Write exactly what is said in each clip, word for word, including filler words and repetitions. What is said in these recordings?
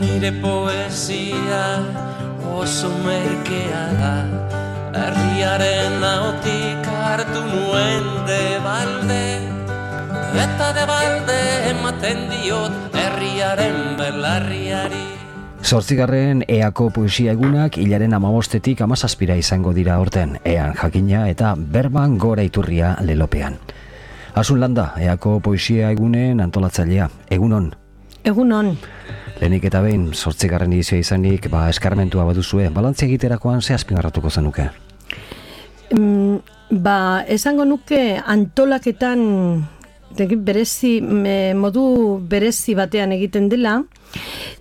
nire poesia oso merkea da, herriaren ahotik hartu nuen de balde, eta de balde ematen diot herriaren belarriari. Zortzigarren eako poesia egunak hilaren amabostetik amazazpira izango dira horten, ean jakina eta berban gora iturria lelopean. Asun Landa, eako poesia egunen antolatzailea, egunon? Egunon. Lehenik eta behin, zortzigarren edizioa izanik, ba, eskarmentua baduzue, balantzia egiterakoan ze azpimarratuko zenuke? Mm, ba, esango nuke antolaketan berezi, me, modu berezi batean egiten dela,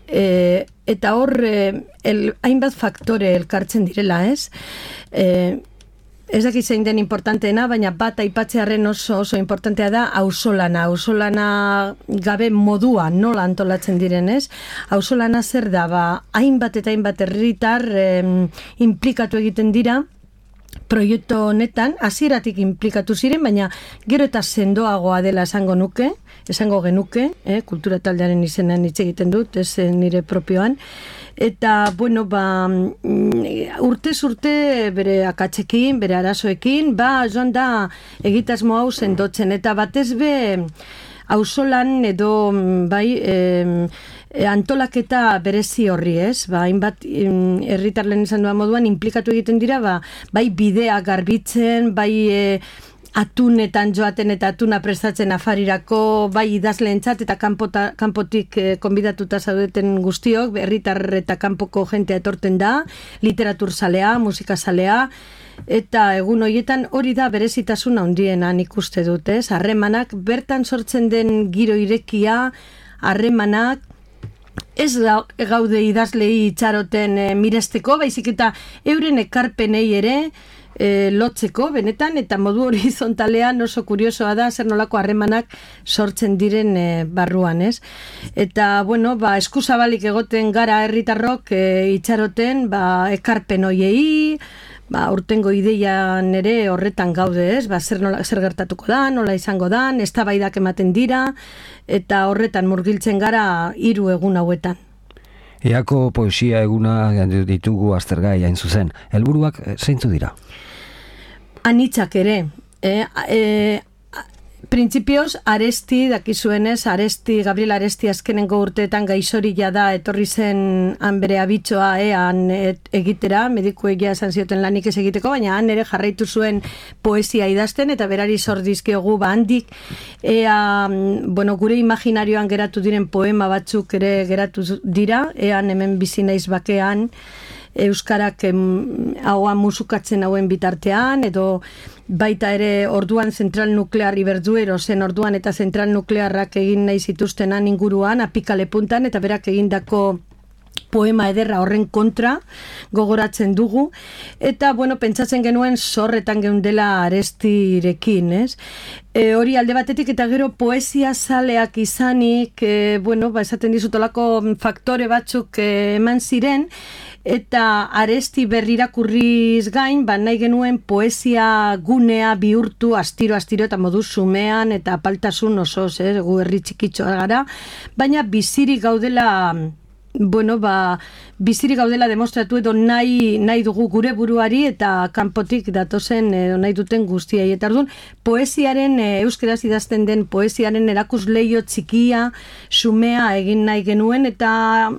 e, eta hor e, el, hainbat faktore elkartzen direla, ez? E, ez dakit zein den importanteena, baina bat aipatzearen oso oso importantea da auzolana, auzolana gabe modua nola antolatzen diren, ez? Auzolana zer da, ba, hainbat eta hainbat herritar e, implikatu egiten dira, proiektu honetan, hasieratik inplikatu ziren, baina gero eta sendoagoa dela esango nuke, esango genuke, eh, kultura taldearen izenean hitz egiten dut, ez nire propioan, eta, bueno, ba, urtez urte bere akatsekin, bere arazoekin, ba, joan da egitasmo hau sendotzen, eta batez be, auzolan edo, bai, eh, antolaketa berezi horri, ez? Ba, hainbat herritar lehen izan duan moduan implikatu egiten dira, ba, bai bidea garbitzen, bai e, atunetan joaten eta atuna prestatzen afarirako, bai idazleentzat eta kanpota, kanpotik e, konbidatuta zaudeten guztiok, herritar eta kanpoko jentea etorten da, literaturzalea, musikazalea, eta egun horietan hori da berezitasuna handiena nik uste dut, ez? Harremanak, bertan sortzen den giro irekia, harremanak, ez da gaude idazlei itxaroten e, miresteko, baizik eta euren ekarpenei ere e, lotzeko, benetan, eta modu horizontalean oso kuriosoa da zer nolako harremanak sortzen diren e, barruan, ez? Eta, bueno, ba, eskuzabalik egoten gara herritarrok e, itxaroten, ba, ekarpen hoiei, ba, urtengo ideian ere horretan gaude, ez? Ba, zer, nola, zer gertatuko da, nola izango da, eztabaidak ematen dira, eta horretan murgiltzen gara hiru egun hauetan. Eako poesia eguna ditugu aztergai hain zuzen. Helburuak zeintzu dira? Anitzak ere. E, e, Printzipioz, Aresti, dakizuenez, Aresti, Gabriel Aresti azkenengo urteetan gaixorila da, etorri zen han bere abitxoa ean egitera, mediku egia esan zioten lanik ez egiteko, baina han ere jarraitu zuen poesia idazten, eta berari zordizkiogu ba handik, ea, bueno, gure imaginarioan geratu diren poema batzuk ere geratu dira, ean hemen bizi naiz bakean, euskarak haua musukatzen hauen bitartean, edo baita ere orduan zentral nuklear Iberduero zen orduan eta zentral nuklearrak egin nahi zituztenan inguruan, apikale puntan, eta berak egindako poema ederra horren kontra gogoratzen dugu, eta bueno, pentsatzen genuen zorretan geundela Arestirekin, ez? E, hori alde batetik, eta gero poesia zaleak izanik, e, bueno, ba, esaten dizutolako faktore batzuk e, eman ziren, eta Aresti berrirakurriz gain, ba, nahi genuen poesia gunea bihurtu astiro astiro eta modu zumean eta apaltasun osoz, eh, gu herri txikitxoa gara, baina bizirik gaudela, bueno, ba, bizirik gaudela demostratu edo nahi, nahi dugu gure buruari eta kanpotik datozen edo nahi duten guztiai. Eta orduan, poesiaren, e, euskeraz idazten den poesiaren erakusleio txikia, xumea egin nahi genuen, eta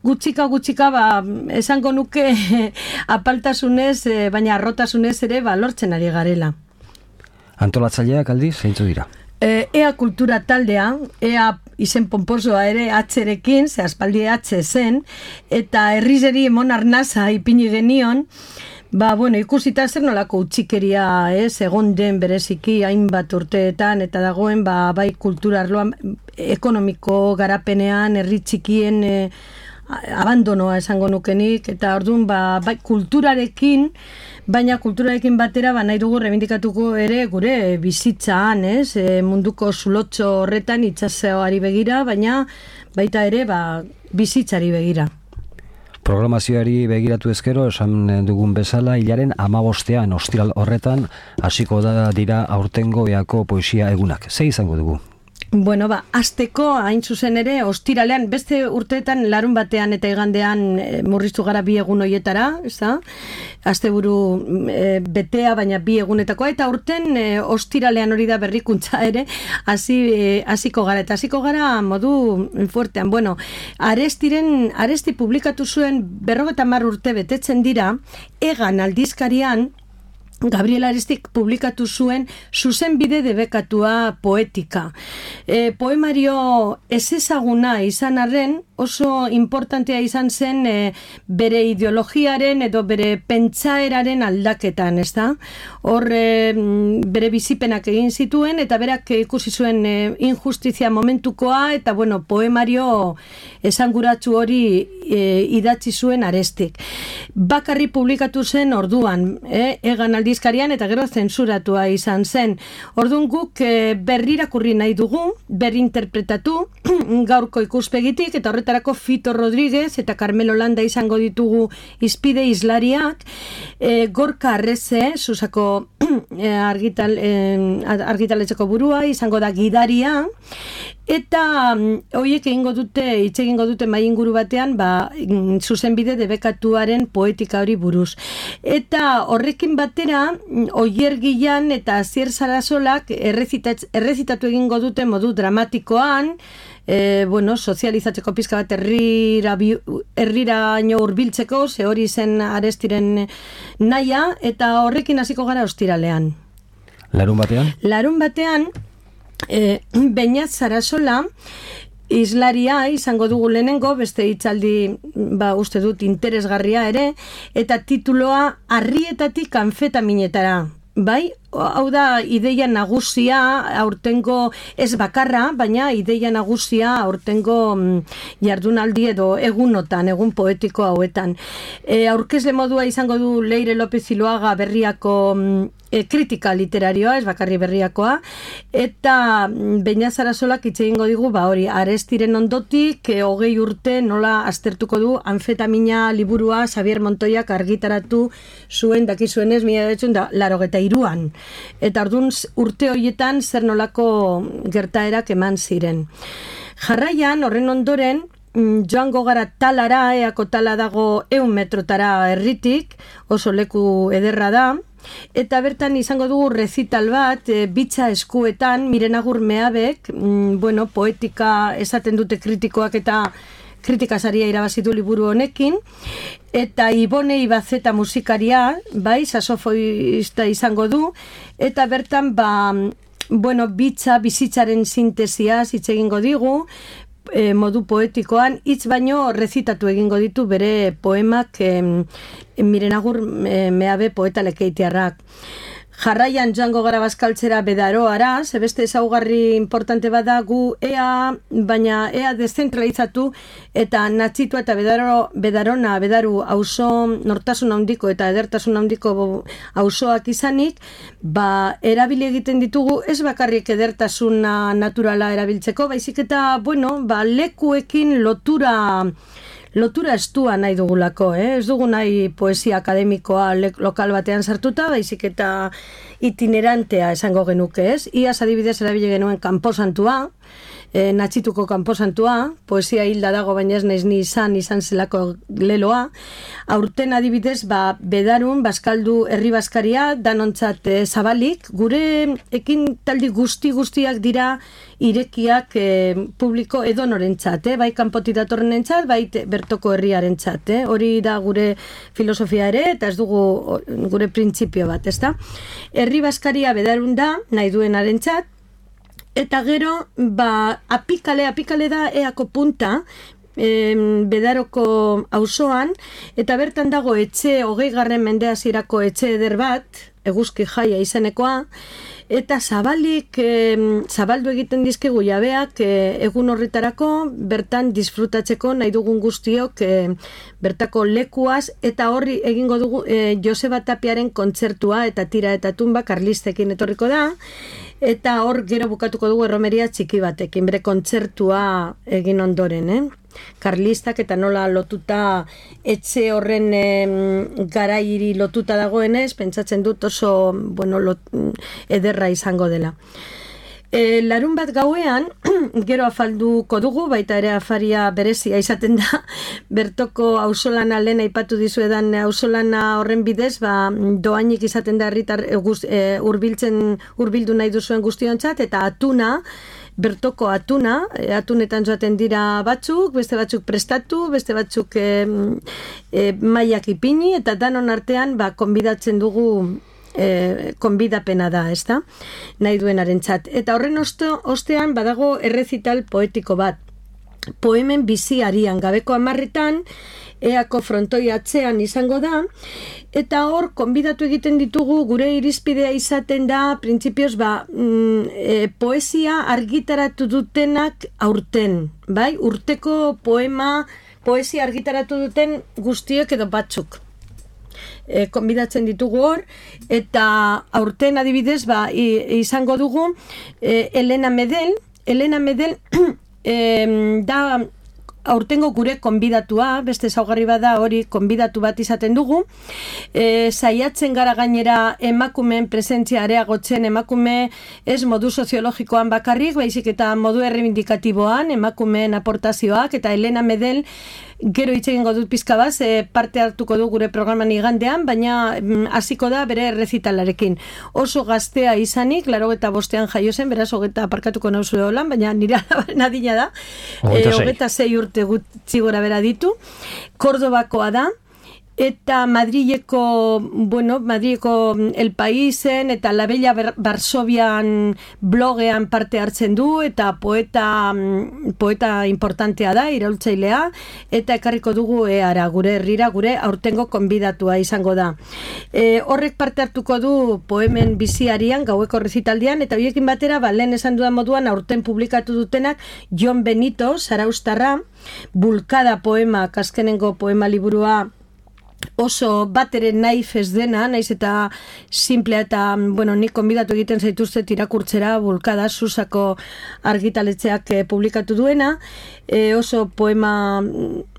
gutxika gutxika ba, esango nuke apaltasunez, e, baina arrotasunez ere ba, lortzen ari garela. Antolatzaileak aldiz, zeintzu dira? E, ea kultura taldea, ea izen pomposoa ere atxerekin, ze aspaldi atxe zen, eta herrizeri emon arnaza ipini genion, ba, bueno, ikusita zer nolako utxikeria, ez, egon den bereziki hainbat urteetan, eta dagoen, ba, bai kultura arloan, ekonomiko garapenean, herri txikien e, abandonoa esango nukenik, eta orduan, ba, bai kulturarekin, baina kulturarekin batera ba, nahi dugu rebindikatuko ere gure bizitzaan, ez? E, munduko zulotxo horretan itsasoari begira, baina baita ere ba, bizitzari begira. Programazioari begiratu ezkero, esan dugun bezala, hilaren hamabostean ostiral horretan hasiko da dira aurtengo eako poesia egunak. Ze izango dugu? Bueno, ba, asteko hain zuzen ere, ostiralean, beste urteetan larun batean eta igandean e, murriztu gara bi egun hoietara, ez da? Asteburu e, betea, baina bi egunetakoa, eta urten e, ostiralean hori da berrikuntza ere, hasi e, hasiko gara, eta hasiko gara modu fuertean. Bueno, Arestiren, Aresti publikatu zuen berrogeita hamar urte betetzen dira, Egan aldizkarian, Gabriel Arestik publikatu zuen zuzenbide debekatua poetika. E, poemario ezezaguna izan arren, oso importantea izan zen e, bere ideologiaren edo bere pentsaeraren aldaketan, ez da? Hor e, bere bizipenak egin zituen eta berak ikusi zuen e, injustizia momentukoa eta bueno, poemario esanguratsu hori e, idatzi zuen Arestik. Bakarri publikatu zen orduan, e, Egan aldizkarian eta gero zentsuratua izan zen. Orduan guk e, berrirakurri nahi dugu, berrinterpretatu gaurko ikuspegitik eta horretarako Fito Rodríguez eta Carmelo Landa izango ditugu izpide islariak, e, Gorka Arreze, Susako e, argital, e, argitaletxeko burua, izango da gidaria, eta horiek egingo dute, hitz egingo dute mai inguru batean, ba, zuzenbide debekatuaren poetika hori buruz. Eta horrekin batera, Oier Gilan eta Asier Sarasolak errezitatu egingo dute modu dramatikoan, E, bueno, sozializatzeko pizka bat herrira herriraino hurbiltzeko, ze hori zen Arestiren naia, eta horrekin hasiko gara ostiralean. Larun batean? Larun batean, e, Beñat Sarasola, islaria izango dugu lehenengo, beste hitzaldi, ba, uste dut interesgarria ere, eta tituloa Arrietatik anfetaminetara. Bai, hau da ideia nagusia aurtengo ez bakarra, baina ideia nagusia aurtengo jardunaldi edo egunotan, egun poetiko hauetan. E, aurkezle modua izango du Leire López Ziloaga Berriako e, kritika literarioa, ez bakarri Berriakoa, eta Beñat Sarasolak hitz egingo digu, ba hori, Arestiren ondotik, e, hogei urte nola aztertuko du anfetamina liburua Xavier Montoiak argitaratu zuen, dakizuenez, mila bederatziehun eta laurogeita hiruan. Eta orduan urte horietan zer nolako gertaerak eman ziren. Jarraian, horren ondoren, joango gara talara, eako tala dago ehun metrotara herritik, oso leku ederra da, eta bertan izango dugu rezital bat, e, bitxa eskuetan, Miren Agur Meabek, mm, bueno, poetika esaten dute kritikoak eta kritikasaria irabazitu liburu honekin, eta Ibone Ibazeta musikaria, bai, saxofoista izango du, eta bertan, ba, bueno, bitxa, bizitzaren sintesia hitz egingo digu, e, modu poetikoan, hitz baino rezitatu egingo ditu bere poemak e, Miren Agur e, Meabe poeta lekeitiarrak. Jarraian joango gara Bazkaltzera Bedaroara, zebeste ezaugarri importante bada gu ea, baina ea dezentralizatu eta Natxitua eta Bedaro, Bedarona, Bedaru auzo nortasun handiko eta edertasun handiko auzoak izanik, ba, erabili egiten ditugu ez bakarrik edertasuna naturala erabiltzeko, baizik eta, bueno, ba, lekuekin lotura lotura estua nahi dugulako, eh? Ez dugu nahi poesia akademikoa lokal batean sartuta, baizik eta itinerantea esango genuke, ez? Iaz adibidez erabile genuen kanposantua, e, Natxituko kanposantua, poesia hilda dago, baina ez naiz ni izan, izan zelako leloa. Aurten adibidez, ba, Bedarun, Bazkaldu herri bazkaria, danontzat e, zabalik, gure ekin taldi guzti guztiak dira irekiak e, publiko edonorentzat, eh? Bai kanpotik datorrenentzat, bai bertoko herriarentzat, eh? Hori da gure filosofia ere, eta ez dugu gure printzipio bat, ezta? Herri bazkaria Bedarun da, nahi duenarentzat, eta gero, ba, apikale, apikale da eako punta, e, Bedaroko auzoan, eta bertan dago etxe, hogei garren mende hasierako etxe eder bat, Eguzki Jaia izenekoa, eta zabalik, e, zabaldu egiten dizkigu jabeak e, egun horretarako, bertan disfrutatzeko nahi dugun guztiok e, bertako lekuaz, eta horri egingo dugu e, Joseba Tapiaren kontzertua eta tira eta tumba Karlistekin etorriko da, eta hor gero bukatuko dugu erromeria txiki batekin, bere kontzertua egin ondoren, eh? Karlistak eta nola lotuta etxe horren e, garairi lotuta dagoenez, pentsatzen dut oso bueno, lot, ederra izango dela. E, larun bat gauean, gero afalduko dugu, baita ere afaria berezia izaten da, bertoko auzolana lehen aipatu dizuedan auzolana horren bidez, ba, doainik izaten da herritar e, urbiltzen, urbildu nahi duzuen guztiontzat, eta atuna, bertoko atuna, atunetan joaten dira batzuk, beste batzuk prestatu, beste batzuk e, e, mailak ipini, eta danon artean ba, konbidatzen dugu e, konbidapena da, ezta? Nahi duenarentzat. Eta horren osto, ostean badago errezital poetiko bat. Poemen biziarian, gabeko hamarretan, eako frontoi atzean izango da, eta hor, konbidatu egiten ditugu, gure irizpidea izaten da, printzipioz, ba, mm, e, poesia argitaratu dutenak aurten, bai? Urteko poema, poesia argitaratu duten guztiek edo batzuk. E, konbidatzen ditugu hor, eta aurten adibidez, ba, izango dugu, e, Elena Medel, Elena Medel, e, da, aurtengo gure konbidatua, beste ezaugarri bada hori konbidatu bat izaten dugu, e, saiatzen gara gainera emakumeen presentzia areagotzen, emakume ez modu soziologikoan bakarrik, baizik eta modu erreibindikatiboan, emakumeen aportazioak, eta Elena Medel gero hitz egingo dut pizka bat, e, parte hartuko du gure programan igandean, baina hasiko da bere errezitalarekin. Oso gaztea izanik, laurogeita bostean jaio zen, beraz hogeta aparkatuko nauzu holan, baina nire nadina da, hogeta sei urte gutxi gora bera ditu, Kordobakoa da, eta Madrileko, bueno, Madrileko El Paisen eta La Bella Varsovian blogean parte hartzen du, eta poeta poeta importantea da, iraultzailea, eta ekarriko dugu eara, gure herrira, gure aurtengo konbidatua izango da. E, horrek parte hartuko du poemen biziarian, gaueko rezitaldian, eta horiekin batera, ba, lehen esan dudan moduan, aurten publikatu dutenak, Jon Benito, Zaraustarra, Bulkada poema, azkenengo poema liburua, oso bat ere naif ez dena, naiz eta simplea eta, bueno, nik konbidatu egiten zaituztet irakurtzera, Bulkada, Susako argitaletxeak e, publikatu duena, e, oso poema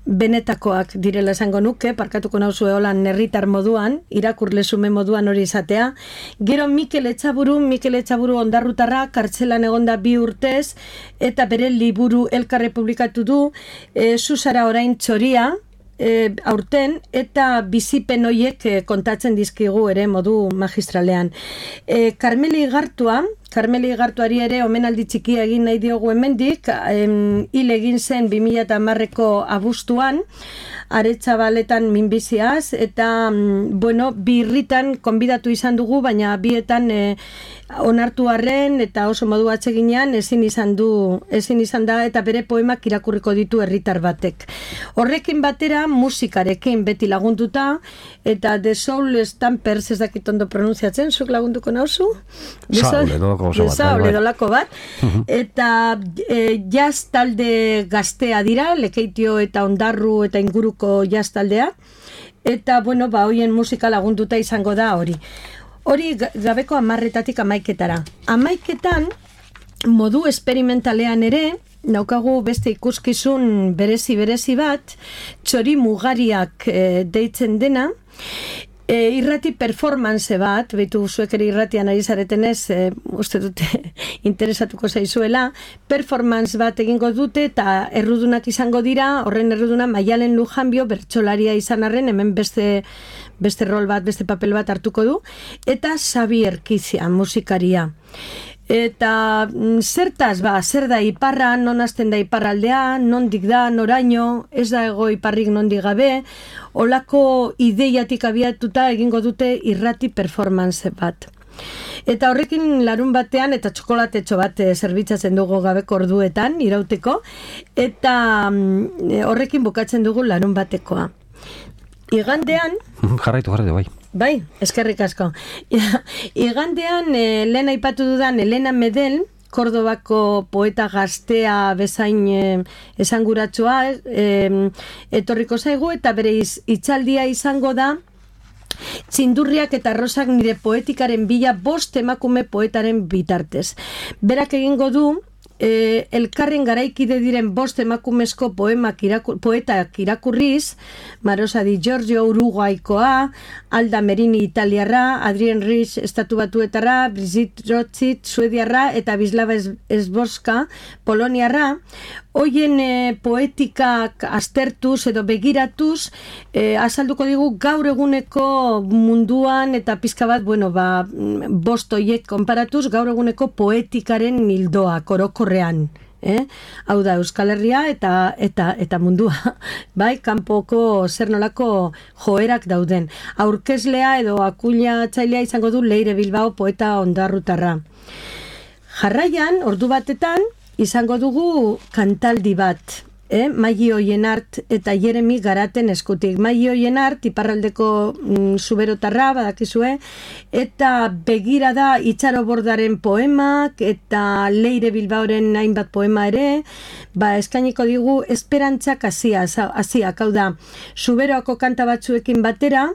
benetakoak direla esango nuke, parkatuko nauzu eolan herritar moduan, irakurlezume moduan hori izatea. Gero Mikel Etxaburu, Mikel Etxaburu ondarrutarra, kartzelan egonda bi urtez, eta bere liburu elkarre publikatu du, e, Susara orain txoria, E, aurten, eta bizipen hoiek e, kontatzen dizkigu ere modu magistralean. E, Karmeli Igartua, Karmeli Igartuari ere omenaldi txikia egin nahi diogu hemendik, em, hil egin zen bi mila hamareko abuztuan, Aretxabaletan minbiziaz, eta, bueno, bi irritan konbidatu izan dugu, baina bietan e, onartu arren, eta oso modu atseginean ezin izan du, ezin izan da, eta bere poemak irakurriko ditu herritar batek. Horrekin batera, musikarekin beti lagunduta, eta The Soul Stampers, ez dakit ondo pronunziatzen, zuk lagunduko nauzu? Saul, edolako oso bat. Saul, edolako bat. Eta e, jazz talde gaztea dira, Lekeitio eta Ondarru eta inguruko jazz taldea, eta, bueno, ba, hoien musika lagunduta izango da hori. Hori gabeko hamarretatik amaiketara. Amaiketan, modu esperimentalean ere, naukagu beste ikuskizun berezi-berezi bat, txori mugariak e, deitzen dena, e, irrati performance bat, behitu zuek ere irratian ari zaretenez, e, uste dute interesatuko zaizuela, performance bat egingo dute, eta errudunak izango dira, horren erruduna Maialen Lujanbio, bertsolaria izan arren, hemen beste beste rol bat, beste papel bat hartuko du, eta Xabi Erkizia, musikaria. Eta zertaz, ba, zer da iparra, non hasten da iparraldea, nondik da, noraino, ez da ego iparrik nondik gabe, olako ideiatik abiatuta egingo dute irrati performance bat. Eta horrekin larun batean, eta txokolatetxo bat zerbitzatzen dugu gabeko orduetan, irauteko, eta horrekin bukatzen dugu larun batekoa. Igandean... Jarraitu, jarraitu, bai. Bai, eskerrik asko. Igandean, eh, lehen aipatu dudan Elena Medel, Kordobako poeta gaztea bezain eh, esanguratsua, eh, etorriko zaigu, eta bere hitzaldia izango da, Txindurriak eta Rosak nire poetikaren bila bost emakume poetaren bitartez. Berak egingo du, e, elkarren garaikide diren bost emakumezko poemak irakur, poetak irakurriz, Marosa di Giorgio Uruguaikoa, Alda Merini italiarra, Adrien Rich estatu batuetarra, Brigitte Rothschild suediarra eta Wisława Szborska poloniarra. Hoien e, poetikak aztertuz edo begiratuz, e, azalduko digu gaur eguneko munduan eta pizka bat, bueno, ba, bost hoiek konparatuz, gaur eguneko poetikaren nildoa, korokorrean. Eh? Hau da, Euskal Herria eta, eta, eta mundua, bai, kanpoko zer nolako joerak dauden. Aurkezlea edo akuila txailea izango du Leire Bilbao poeta ondarrutarra. Jarraian, ordu batetan, izango dugu kantaldi bat, eh? Maili Oienart eta Jeremi Garaten eskutik. Maili Oienart, iparraldeko mm, zuberotarra, badakizue, eta begira da Itxaro Bordaren poemak, eta Leire Bilbaoren hainbat poema ere, ba, eskainiko digu esperantzak hasiak, hasiak, hau da, zuberoako kanta batzuekin batera,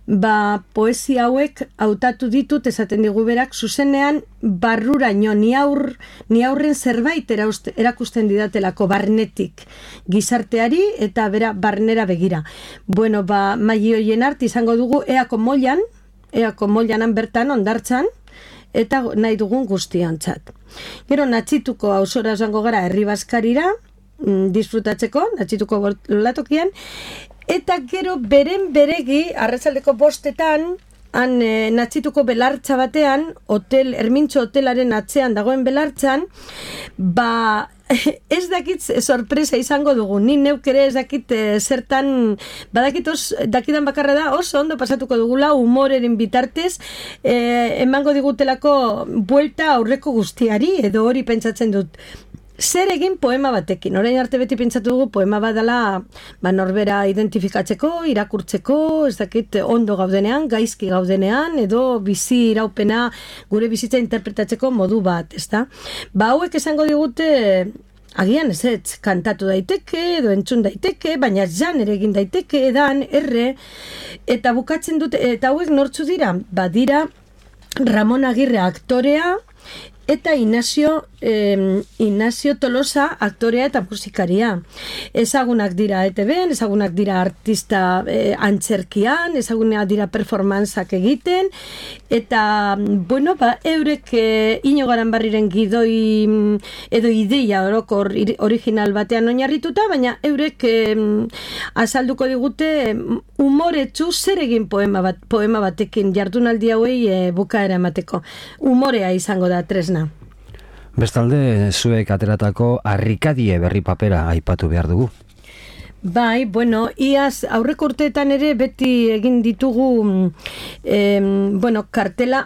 ba, poesia hauek hautatu ditut, esaten digu berak, zuzenean barruraino, ni, aur, ni aurren zerbait erauste, erakusten didatelako barnetik gizarteari eta bera barnera begira. Bueno, ba, Maili Oienart izango dugu eako moilan, eako moilanan bertan ondartzan, eta nahi dugun guztiontzat. Gero Natxituko auzora zango gara herri bazkarira, disfrutatzeko, Natxituko latokian, eta gero beren beregi, arratsaldeko bostetan, han e, Natxituko belartza batean, hotel, Ermintxo hotelaren atzean dagoen belartzan, ba, ez dakit sorpresa izango dugu, ni neuk ere ez dakit e, zertan, badakit os, dakidan bakarra da, oso ondo pasatuko dugula, humoreren bitartez, e, emango digutelako buelta aurreko guztiari, edo hori pentsatzen dut. Zer egin poema batekin, orain arte beti pentsatu dugu poema badala ba, norbera identifikatzeko, irakurtzeko, ez dakit ondo gaudenean, gaizki gaudenean, edo bizi iraupena gure bizitza interpretatzeko modu bat, ezta? Ba, hauek esango digute, agian ez ez, kantatu daiteke, edo entzun daiteke, baina jan ere egin daiteke, edan, erre, eta bukatzen dute, eta hauek nortzu dira? Ba, dira Ramon Agirre aktorea, eta Inazio, eh, Inazio Tolosa aktorea eta musikaria. Ezagunak dira E T B'n, ezagunak dira artista eh, antzerkian, ezagunak dira performantzak egiten, eta, bueno, ba, eurek eh, Ino Garanbarriren gidoi edo ideia orokor original batean oinarrituta, baina eurek eh, azalduko digute umoretsu zer egin poema, bat, poema batekin jardunaldi hauei eh, bukaera emateko. Umorea izango da tresna. Bestalde, zuek ateratako harrikadie berri papera aipatu behar dugu. Bai, bueno, iaz aurreko urteetan ere beti egin ditugu eh, bueno, kartela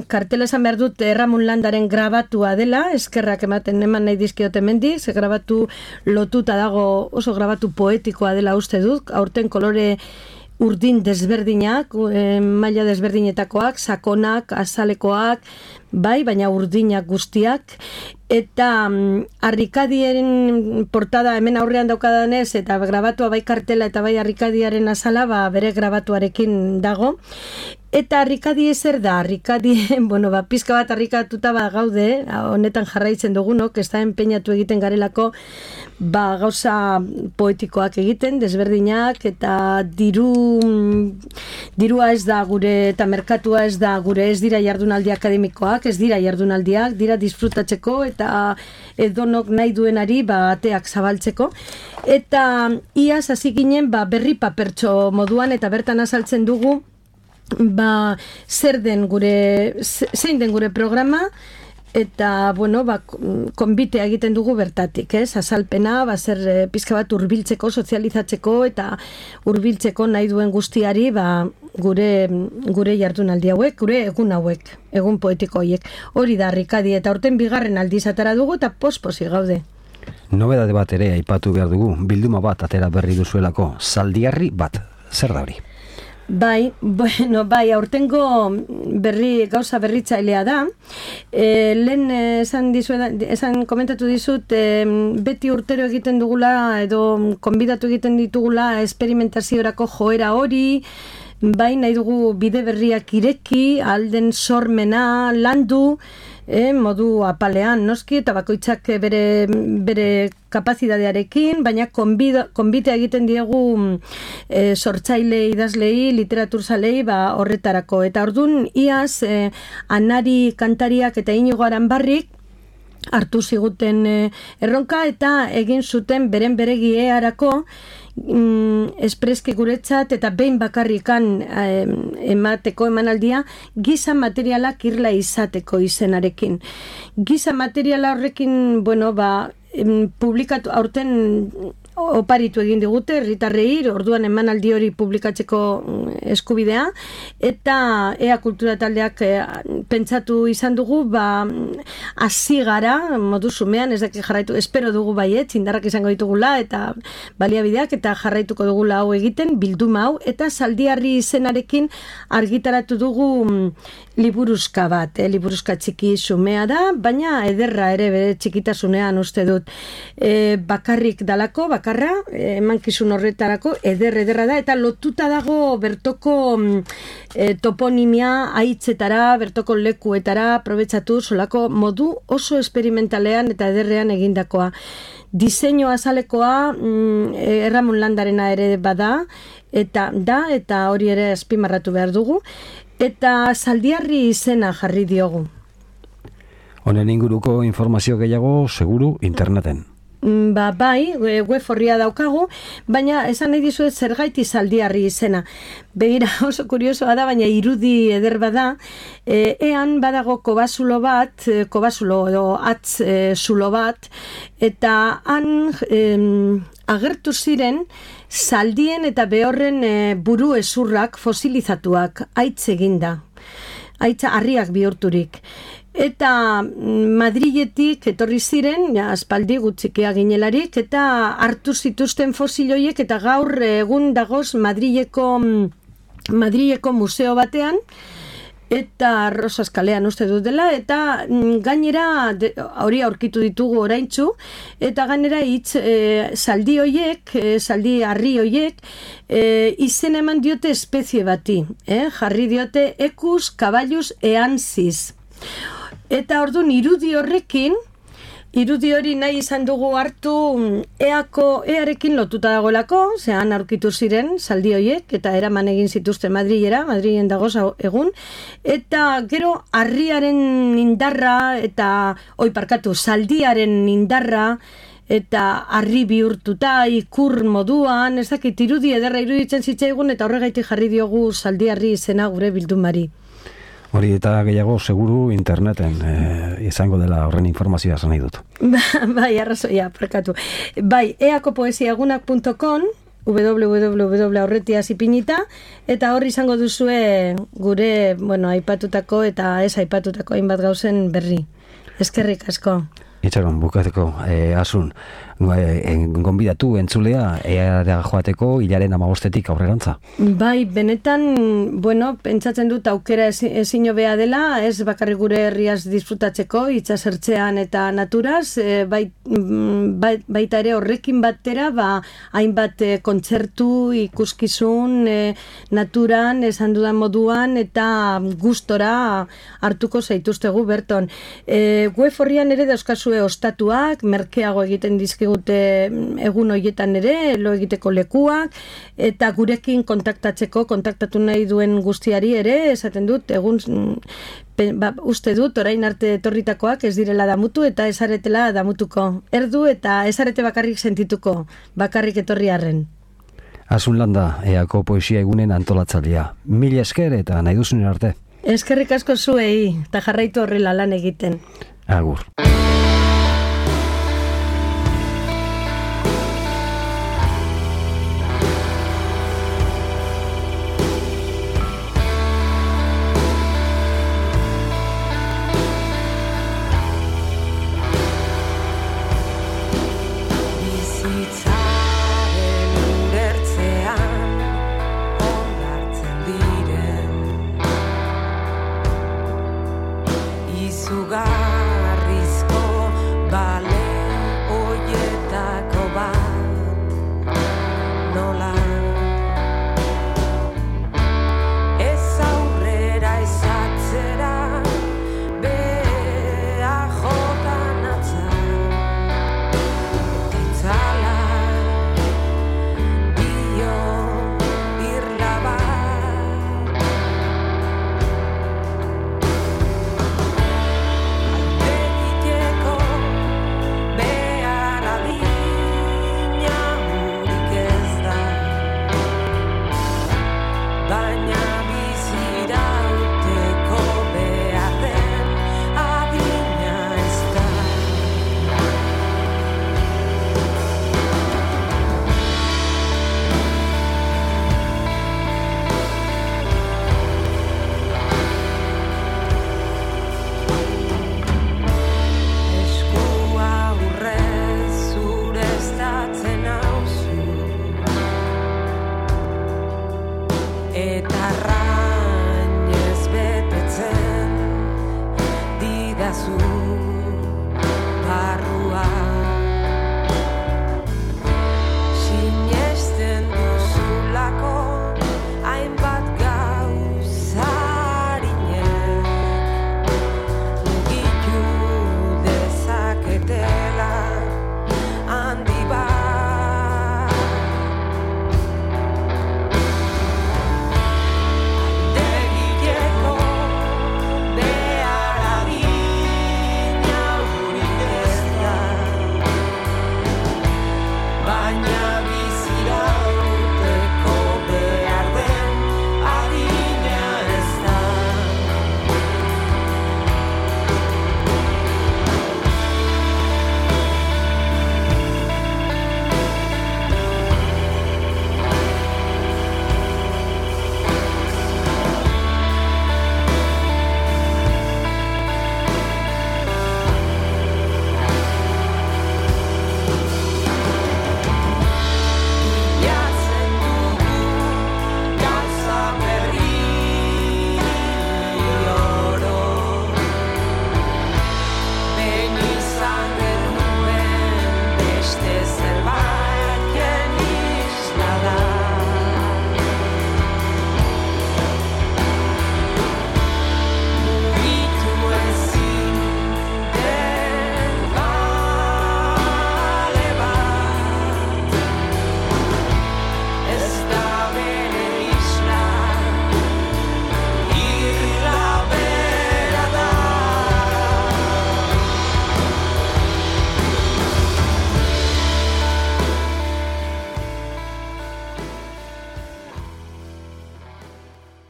kartela esan behar dut Ramon Landaren grabatua dela, eskerrak ematen eman nahi dizkiote mendik, ze grabatu lotuta dago, oso grabatu poetikoa dela uste dut, aurten kolore urdin desberdinak, eh, maila desberdinetakoak, sakonak, azalekoak, bai, baina urdinak guztiak, eta um, harrikadien portada hemen aurrean daukadanez, eta grabatua bai kartela eta bai harrikadiaren azala, ba, bere grabatuarekin dago. Eta harrikadie zer da? Harrikadie, bueno, ba, pizka bat harrikatuta ba, gaude, honetan jarraitzen dugunok, ez da enpeinatu egiten garelako, ba, gauza poetikoak egiten, desberdinak, eta diru, dirua ez da gure, eta merkatua ez da gure, ez dira jardunaldi akademikoak, ez dira jardunaldiak, dira disfrutatzeko, eta edonok nahi duenari, ba, ateak zabaltzeko. Eta iaz hasi ginen, ba, berri papertxo moduan, eta bertan azaltzen dugu, ba, zer den gure, zein den gure programa, eta, bueno, ba, konbitea egiten dugu bertatik, ez? Azalpena, ba, zer e, pizka bat hurbiltzeko, sozializatzeko, eta hurbiltzeko nahi duen guztiari, ba, gure, gure jardunaldi hauek, gure egun hauek, egun poetiko hauek. Hori da, harrikadi, eta urten bigarren aldiz atera dugu, eta posposi gaude. Nobedade bat ere aipatu behar dugu, bilduma bat atera berri duzuelako, zaldiarri bat, zer da hori? Bai, bueno, bai, aurtengo berri, gauza berritzailea da. E, lehen esan, dizuen, esan komentatu dizut, e, beti urtero egiten dugula, edo konbidatu egiten ditugula esperimentaziorako joera hori, bai, nahi dugu bide berriak ireki, alden sormena, landu, e, modu apalean, noski, eta bakoitzak bere, bere kapazitatearekin, baina konbitea egiten diegu e, sortzaile idazlei, literaturzalei, ba, horretarako. Eta ordun iaz, e, Anari kantariak eta Inigo Aranbarrik hartu ziguten e, erronka eta egin zuten beren beregi earako mm, espreski guretzat eta behin bakarrikan e, emateko emanaldia giza materialak irla izateko izenarekin. Giza materiala horrekin, bueno, ba, em, publikatu, aurten oparitu egin digute, herritarrei, orduan emanaldi hori publikatzeko eskubidea, eta ea kultura taldeak e, pentsatu izan dugu, ba, hasi gara, modu zumean, ez daki jarraitu, espero dugu baiet, indarrak izango ditugula, eta baliabideak, eta jarraituko dugula hau egiten, bilduma hau, eta Zaldiarri izenarekin argitaratu dugu mm, liburuzka bat, eh, liburuzka txiki zumea da, baina ederra ere bere txikitasunean uste dut, e, bakarrik dalako, bakarra, emankizun horretarako, eder ederra da, eta lotuta dago bertoko e, toponimia haitzetara, bertoko lekuetara, aprobetxatu solako modu oso esperimentalean eta ederrean egindakoa. Diseinu azalekoa mm, Erramun Landarena ere bada, eta da, eta hori ere azpimarratu behar dugu, eta Zaldiarri izena jarri diogu. Honen inguruko informazio gehiago, seguru, interneten. Ba, bai, web horria daukagu, baina esan nahi dizuet zergaiti Zaldiarri izena. Begira, oso kuriosoa da, baina irudi eder bada, e, ean badago kobasulo bat, kobasulo edo atz e, zulo bat, eta han e, agertu ziren zaldien eta behorren e, buru ezurrak fosilizatuak, aitz eginda, aitza harriak bihurturik. Eta Madriletik etorri ziren, ja, aspaldi gutxikea ginelarik, eta hartu zituzten fosiloiek, eta gaur egun dagoz Madrileko, Madrileko museo batean, eta Rosas kalean uste dut dela, eta gainera de, hori aurkitu ditugu oraintzu, eta gainera hitz e, zaldi hoiek, e, zaldi harri hoiek, e, izen eman diote espezie bati, eh? Jarri diote Equus caballus eansis. Eta orduan irudi horrekin, irudi hori nahi izan dugu hartu eako, earekin lotuta dagoelako, zehan aurkitu ziren zaldi hoiek, eta eraman egin zituzten Madrilera, Madrilen dagoz egun, eta gero harriaren indarra, eta oi parkatu, zaldiaren indarra, eta harri bihurtuta, ikur moduan, ez dakit irudi ederra iruditzen zitzaigun, eta horregaitik jarri diogu Zaldiarri izena gure bildumari. Hori eta gehiago seguru interneten e, izango dela horren informazioa esan nahi dut. Bai, arrazoia, parkatu. Bai, eakopoesiagunak punto com, www aurretiaz ipinita, eta hor izango duzue gure, bueno, aipatutako eta ez aipatutako hainbat gauzen berri. Eskerrik asko. Itxaron, bukateko, e, asun, e, gonbidatu entzulea eara joateko hilaren amabostetik aurrerantza. Bai, benetan, bueno, pentsatzen dut aukera ezin hobea dela, ez bakarrik gure herriaz disfrutatzeko, itxasertzean eta naturaz, e, bai, bai, baita ere horrekin batera, ba, hainbat e, kontzertu, ikuskizun, e, naturan, esan dudan moduan, eta gustora hartuko zaituztegu berton. E, web horrian ere dauzkazu ostatuak, merkeago egiten dizkigute egun horietan ere, lo egiteko lekuak, eta gurekin kontaktatzeko, kontaktatu nahi duen guztiari ere, esaten dut, egun, ba, uste dut, orain arte etorritakoak ez direla damutu, eta ezaretela damutuko. Erdu eta ezarete bakarrik sentituko, bakarrik etorri arren. Asun Landa, eako poesia egunen antolatzailea. Mila esker eta nahi duzunen arte. Eskerrik asko zuei, eta jarraitu horrela lan egiten. Agur. Izugarrizko eta arrainez betetzen didazu.